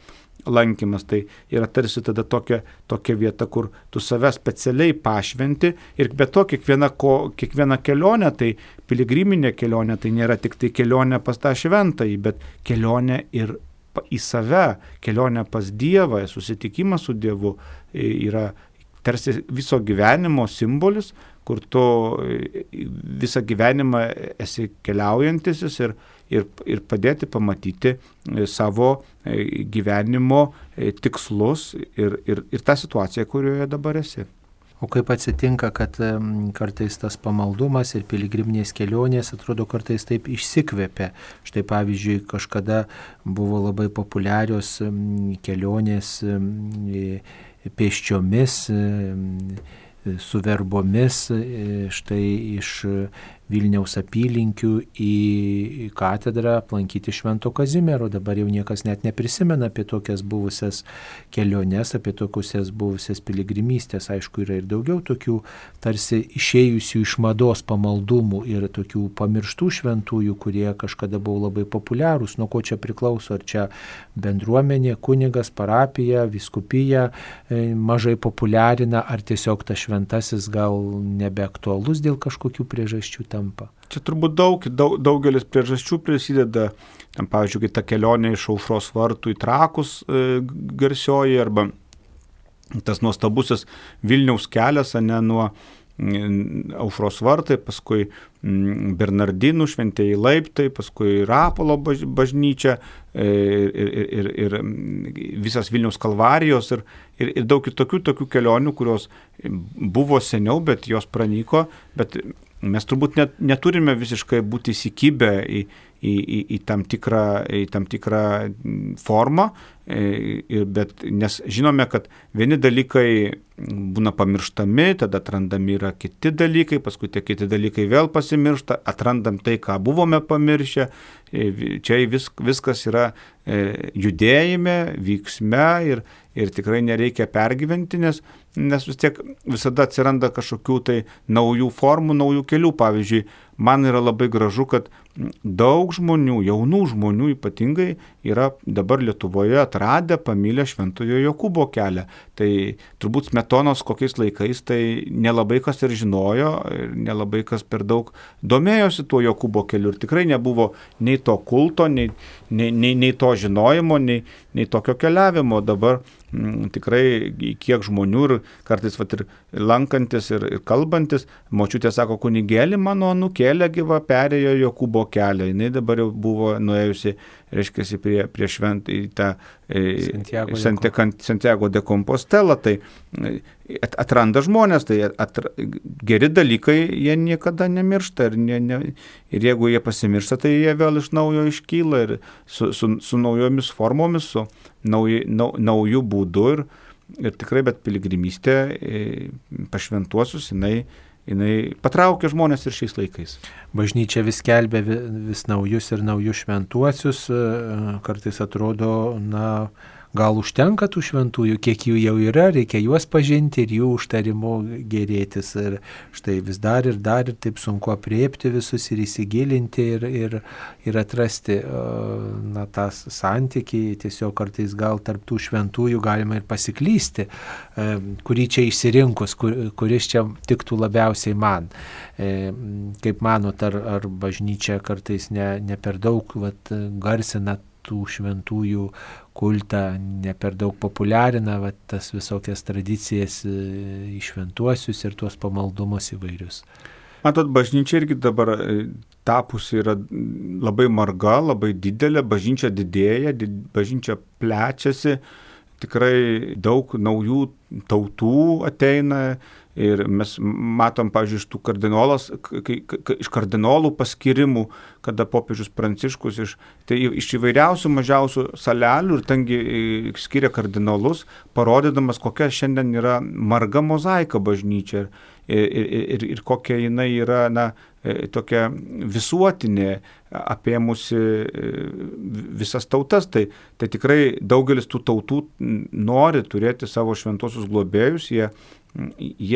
lankymas. Tai yra tarsi tada tokia vieta, kur tu save specialiai pašventi ir be to kiekviena kelionė, tai piligriminė kelionė, tai nėra tik tai kelionė pas tą šventąjį, bet kelionė ir į save, kelionė pas Dievą, susitikimas su Dievu yra tarsi viso gyvenimo simbolis, kur tu visą gyvenimą esi keliaujantis ir padėti pamatyti savo gyvenimo tikslus ir tą situaciją, kurioje dabar esi. O kaip atsitinka, kad kartais tas pamaldumas ir piligriminės kelionės atrodo kartais taip išsikvėpia. Štai pavyzdžiui, kažkada buvo labai populiarios kelionės pėsčiomis, su verbomis, štai iš Vilniaus apylinkių į katedrą aplankyti Švento Kazimiero. Dabar jau niekas net neprisimena apie tokias buvusias keliones, apie tokias buvusias piligrimystės. Aišku, yra ir daugiau tokių tarsi išėjusių iš mados pamaldumų ir tokių pamirštų šventųjų, kurie kažkada buvo labai populiarūs. Nuo ko čia priklauso? Ar čia bendruomenė, kunigas, parapija, vyskupija mažai populiarina, ar tiesiog tas šventasis gal nebeaktualus dėl kažkokių priežasčių tampa? Čia turbūt daugelis priežasčių prisideda. Tam, pavyzdžiui, kai ta kelionė iš Aušros vartų į Trakus garsioji, arba tas nuostabusis Vilniaus kelias, nuo Aušros vartai, paskui Bernardinų šventieji laiptai, paskui Rapolo bažnyčia ir visas Vilniaus kalvarijos ir daug tokių kelionių, kurios buvo seniau, bet jos pranyko, bet mes turbūt neturime visiškai būti įsikibę į tam tikrą formą, nes žinome, kad vieni dalykai būna pamirštami, tada atrandami yra kiti dalykai, paskui tie kiti dalykai vėl pasimiršta, atrandam tai, ką buvome pamiršę. Čia viskas yra judėjime, vyksme ir tikrai nereikia pergyventi, nes vis tiek visada atsiranda kažkokių tai naujų formų, naujų kelių. Pavyzdžiui, man yra labai gražu, kad daug žmonių, jaunų žmonių ypatingai, yra dabar Lietuvoje atradę, pamilę Šventojo Jokūbo kelią. Tai turbūt Smetonos kokiais laikais tai nelabai kas ir žinojo, ir nelabai kas per daug domėjosi tuo Jokūbo keliu. Ir tikrai nebuvo nei to kulto, nei to žinojimo, nei tokio keliavimo. Dabar tikrai kiek žmonių ir kartais ir lankantis ir kalbantis, močiutė sako, kunigėli mano anūkėlė gyva perėjo Jokūbo kelią. Jis dabar jau buvo nuėjusi, reiškia, prie šventą į tą Santiago de Compostela. Tai atranda žmonės, tai geri dalykai jie niekada nemiršta ir jeigu jie pasimiršta, tai jie vėl iš naujo iškyla ir su naujomis formomis, su naujų būdų ir tikrai, bet piligrimystė pašventuosius, jinai patraukia žmonės ir šiais laikais. Bažnyčia vis skelbia vis naujus ir naujus šventuosius, kartais atrodo, gal užtenka tų šventųjų, kiek jų jau yra, reikia juos pažinti ir jų užtarimu gėrėtis. Ir štai vis dar ir taip sunku apriepti visus ir įsigilinti ir atrasti tą santykį. Tiesiog kartais gal tarp tų šventųjų galima ir pasiklysti, kurį čia išsirinkus, kuris čia tiktų labiausiai man. Kaip manot, ar bažnyčia kartais ne per daug garsina tų šventųjų kultą, ne per daug populiarina tas visokias tradicijas į šventuosius ir tuos pamaldumus įvairius? Matot, bažnyčia irgi dabar tapusi yra labai marga, labai didelė, bažnyčia didėja, bažnyčia plečiasi, tikrai daug naujų tautų ateina. Ir mes matom, pavyzdžiui, iš kardinolų paskirimų, kada popiežius Pranciškus iš įvairiausių mažiausių salelių ir tengi skiria kardinolus, parodydamas, kokia šiandien yra marga mozaika bažnyčia ir kokia jinai yra tokia visuotinė, apėmusi visas tautas. Tai tikrai daugelis tų tautų nori turėti savo šventuosius globėjus, jie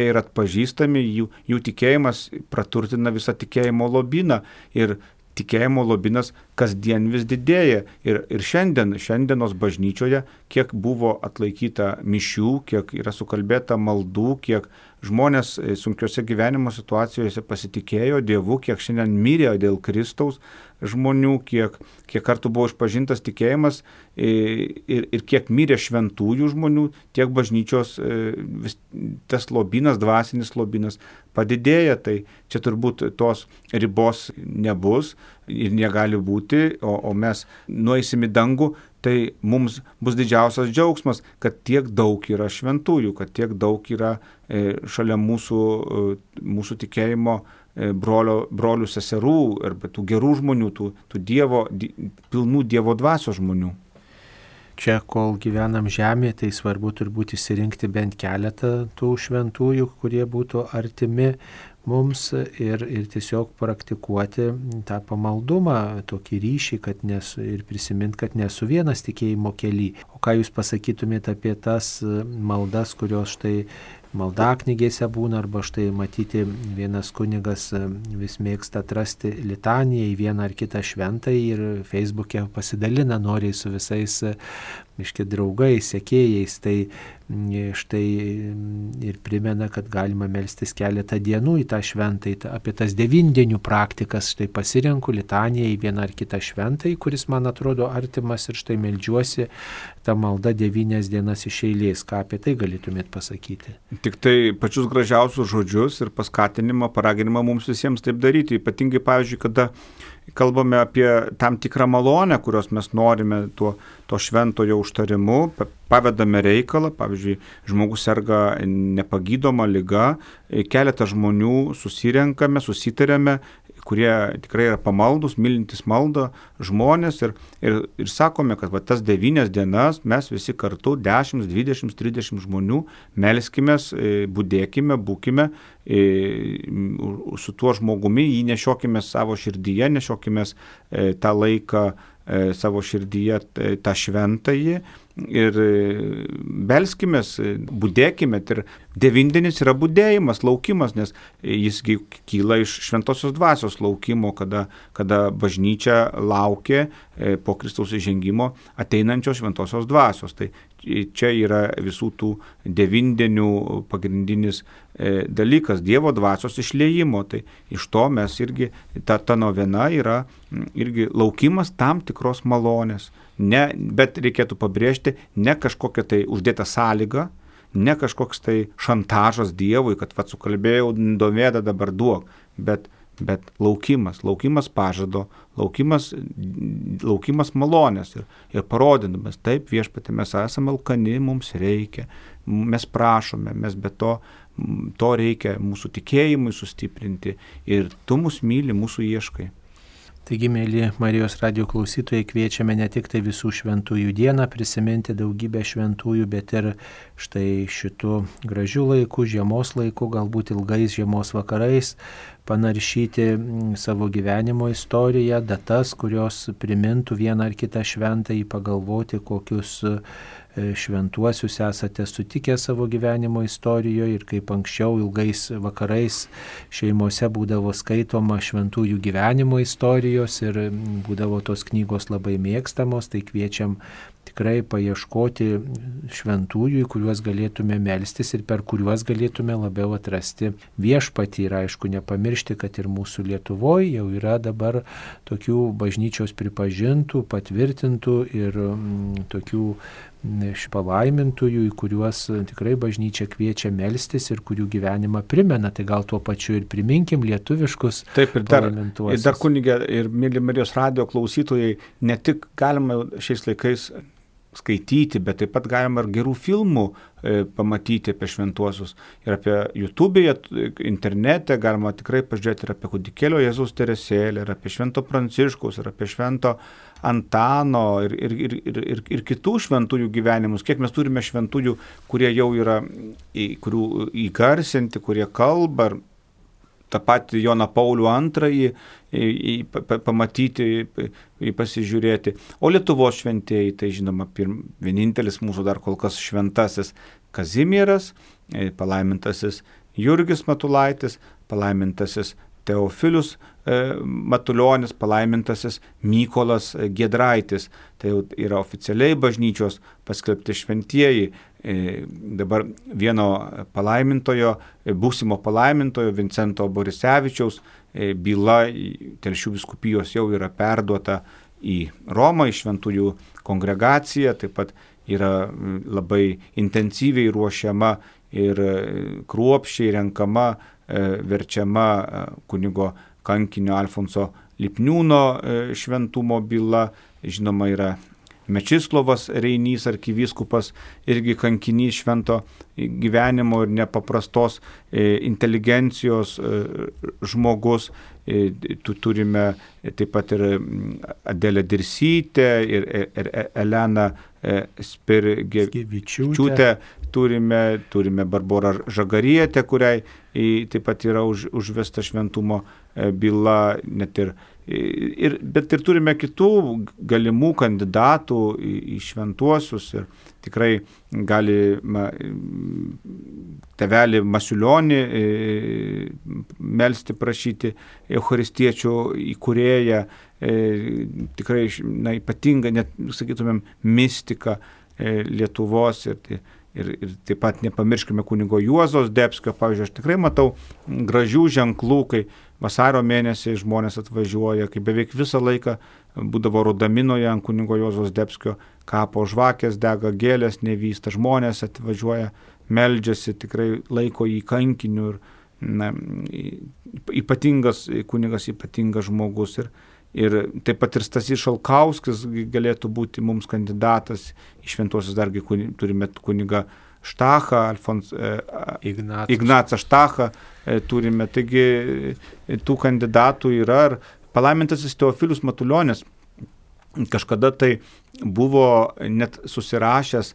yra atpažįstami, jų tikėjimas praturtina visą tikėjimo lobyną ir tikėjimo lobynas kasdien vis didėja. Ir šiandienos bažnyčioje, kiek buvo atlaikyta mišių, kiek yra sukalbėta maldų, kiek žmonės sunkiose gyvenimo situacijose pasitikėjo Dievu, kiek šiandien mirė dėl Kristaus žmonių, kiek kartų buvo išpažintas tikėjimas ir kiek mirė šventųjų žmonių, tiek bažnyčios tas lobynas, dvasinis lobynas padidėja. Tai čia turbūt tos ribos nebus ir negali būti, o mes nueisim į dangų, tai mums bus didžiausias džiaugsmas, kad tiek daug yra šventųjų, kad tiek daug yra šalia mūsų tikėjimo brolių, seserų arba tų gerų žmonių, tų pilnų Dievo dvasios žmonių. Čia, kol gyvenam žemėje, tai svarbu turbūt išsirinkti bent keletą tų šventųjų, kurie būtų artimi mums ir tiesiog praktikuoti tą pamaldumą, tokį ryšį, ir prisiminti, kad nesu vienas tikėjimo kely. O ką jūs pasakytumėte apie tas maldas, kurios štai maldaknygėse būna, arba štai matyti vienas kunigas vis mėgsta atrasti litaniją į vieną ar kitą šventąjį ir Facebook'e pasidalina noriai su visais draugais, sekėjais, tai štai ir primena, kad galima melstis keletą dienų į tą šventąjį, apie tas 9 dienių praktikas, štai pasirenku litaniją į vieną ar kitą šventąjį, kuris man atrodo artimas ir štai meldžiuosi tą maldą 9 dienas iš eilės. Ką apie tai galėtumėt pasakyti? Tik tai pačius gražiausius žodžius ir paskatinimą, paraginimą mums visiems taip daryti. Ypatingai, pavyzdžiui, kada kalbame apie tam tikrą malonę, kurios mes norime to šventojo užtarimu, pavedame reikalą, pavyzdžiui, žmogus serga nepagydoma liga, keletą žmonių susirenkame, susitarėme, kurie tikrai yra pamaldus, mylintis maldą žmonės ir sakome, kad tas 9 dienas mes visi kartu 10, 20, 30 žmonių melskimės, budėkime, būkime su tuo žmogumi, jį nešiokime savo širdyje, nešiokime tą laiką savo širdyje, tą šventąjį ir belskimės, budėkime. Ir 9 dienos yra budėjimas, laukimas, nes jis kyla iš šventosios dvasios laukimo, kada bažnyčia laukia po Kristaus įžengimo ateinančios šventosios dvasios. Tai čia yra visų tų 9 dienų pagrindinis dalykas, Dievo dvasios išliejimo. Tai iš to mes irgi, ta novena yra irgi laukimas tam tikros malonės. Bet reikėtų pabrėžti, ne kažkokia tai uždėta sąlyga, ne kažkoks tai šantažas Dievui, kad sukalbėjau domėdą, dabar duok, bet laukimas pažado, laukimas malonės ir parodinamas, taip viešpatie, mes esame alkani, mums reikia, mes prašome, mes be to reikia mūsų tikėjimui sustiprinti ir tu mus myli, mūsų ieškai. Taigi, mėly Marijos radijo klausytojai, kviečiame ne tik tai visų šventųjų dieną prisiminti daugybę šventųjų, bet ir štai šitų gražių laikų, žiemos laikų, galbūt ilgais žiemos vakarais panaršyti savo gyvenimo istoriją, datas, kurios primintų vieną ar kitą šventąjį, pagalvoti, kokius šventuosius esate sutikę savo gyvenimo istorijoje ir kaip anksčiau ilgais vakarais šeimose būdavo skaitoma šventųjų gyvenimo istorijos ir būdavo tos knygos labai mėgstamos, tai kviečiam tikrai paieškoti šventųjų, į kuriuos galėtume melstis ir per kuriuos galėtume labiau atrasti viešpatį. Ir aišku, nepamiršti, kad ir mūsų Lietuvoje jau yra dabar tokių bažnyčios pripažintų, patvirtintų ir tokių palaimintųjų, į kuriuos tikrai bažnyčia kviečia melstis ir kurių gyvenimą primena. Tai gal tuo pačiu ir priminkim lietuviškus palaimintuosius. Ir dar kunigė ir mėly Marijos radijo klausytojai, ne tik galima šiais laikais skaityti, bet taip pat galima ir gerų filmų pamatyti apie šventuosius. Ir apie YouTube'e, internete galima tikrai pažiūrėti ir apie kūdikėlio Jėzaus Teresėlę, ir apie Švento Pranciškaus, ir apie Švento Antano, ir kitų šventųjų gyvenimus. Kiek mes turime šventųjų, kurie jau yra, kurių įgarsinti, kurie kalba, tą patį Joną Paulių II pamatyti, pasižiūrėti. O Lietuvos šventieji, tai žinoma, vienintelis mūsų dar kol kas šventasis Kazimieras, palaimintasis Jurgis Matulaitis, palaimintasis Teofilius Matulionis, palaimintasis Mykolas Giedraitis. Tai jau yra oficialiai bažnyčios paskelbti šventieji. Dabar vieno palaimintojo, būsimo palaimintojo Vincento Borisevičiaus byla Telšių vyskupijos jau yra perduota į Romą, į šventųjų kongregaciją. Taip pat yra labai intensyviai ruošiama ir kruopščiai renkama, verčiama kunigo kankinio Alfonso Lipniūno šventumo byla. Žinoma, yra Mečislovas Reinys, arkivyskupas, irgi kankinys švento gyvenimo ir nepaprastos inteligencijos žmogus. Turime taip pat ir Adelę Dirsytę ir Eleną Spirgevičiūtę, turime Barborą Žagarietę, kuriai taip pat yra užvesta šventumo byla, bet ir turime kitų galimų kandidatų į šventuosius ir tikrai galima tėvelį Masiulionį melsti, prašyti, eucharistiečių įkūrėją, tikrai ypatinga, net sakytumėm, mistika Lietuvos ir taip pat nepamirškime kunigo Juozo Zdebskio. Pavyzdžiui, aš tikrai matau gražių ženklų, kai vasario mėnesį žmonės atvažiuoja, kai beveik visą laiką būdavo Rudaminoje ant kunigo Juozo Zdebskio kapo žvakės dega, gėlės nevysta, žmonės atvažiuoja, meldžiasi, tikrai laiko jį kankiniu ir ypatingas kunigas, ypatingas žmogus. Ir taip pat ir Stasys Šalkauskis galėtų būti mums kandidatas į šventuosius, dargi turime kunigą Štachą, Ignacą Štachą turime, taigi tų kandidatų yra. Ir palaimintasis Teofilius Matulionis kažkada tai buvo net susirašęs,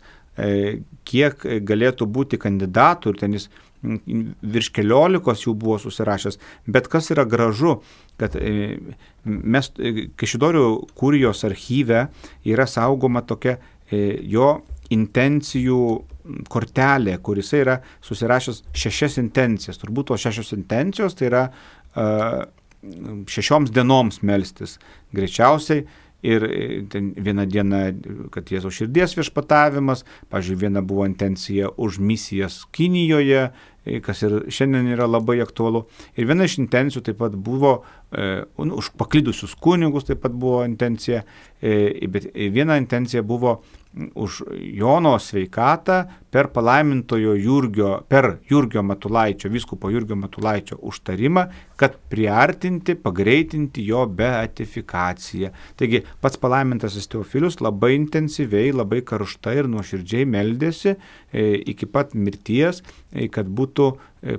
kiek galėtų būti kandidatų, ir ten jis virš 14 jų buvo susirašęs. Bet kas yra gražu, kad mes Kaišiadorių kurijos archyve yra saugoma tokia jo intencijų kortelė, kuris yra susirašęs 6 intencijas. Turbūt tos 6 intencijos tai yra 6 dienoms melstis greičiausiai. Ir vieną dieną, kad Jėzaus širdies viešpatavimas, pavyzdžiui, viena buvo intencija už misijas Kinijoje, kas ir šiandien yra labai aktualu. Ir viena iš intencijų taip pat buvo už paklydusius kunigus, taip pat buvo intencija, bet viena intencija buvo už Jono sveikatą per palaimintojo Jurgio Matulaičio, vyskupo Jurgio Matulaičio užtarimą, kad priartinti, pagreitinti jo beatifikaciją. Taigi pats palaimintasis Teofilius labai intensyviai, labai karštai ir nuoširdžiai meldėsi iki pat mirties, kad būtų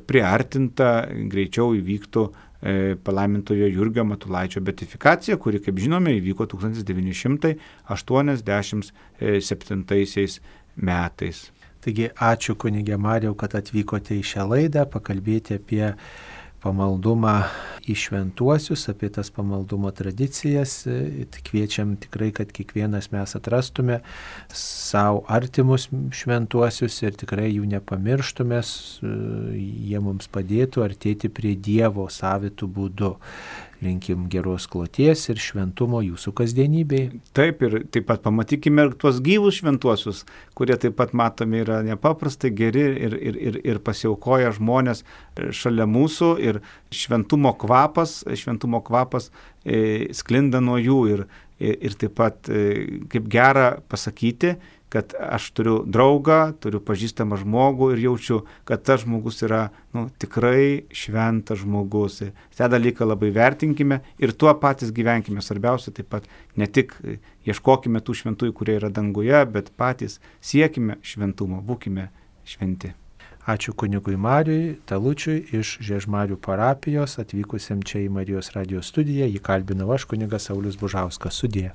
priartinta, greičiau įvyktų palaimintojo Jurgio Matulaičio beatifikacija, kuri, kaip žinome, įvyko 1987 metais. Taigi ačiū kunige Marijau, kad atvykote į šią laidą pakalbėti apie pamaldumą į šventuosius, apie tas pamaldumo tradicijas. Kviečiam tikrai, kad kiekvienas mes atrastume savo artimus šventuosius ir tikrai jų nepamirštume, jie mums padėtų artėti prie Dievo savitų būdų. Linkim geros kloties ir šventumo jūsų kasdienybėje. Taip, ir taip pat pamatykime ir tuos gyvus šventuosius, kurie taip pat matomi yra nepaprastai geri ir pasiaukoja žmonės šalia mūsų, ir šventumo kvapas sklinda nuo jų ir taip pat kaip gera pasakyti, kad aš turiu draugą, turiu pažįstamą žmogų ir jaučiu, kad tas žmogus yra tikrai šventas žmogus. Tą dalyką labai vertinkime ir tuo patys gyvenkime. Svarbiausia taip pat ne tik ieškokime tų šventųjų, kurie yra danguje, bet patys siekime šventumo, būkime šventi. Ačiū kunigui Marijui Talučiui iš Žiežmarių parapijos, atvykusiam čia į Marijos radijo studiją. Jį kalbinau aš, kunigas Saulius Bužauskas. Sudie.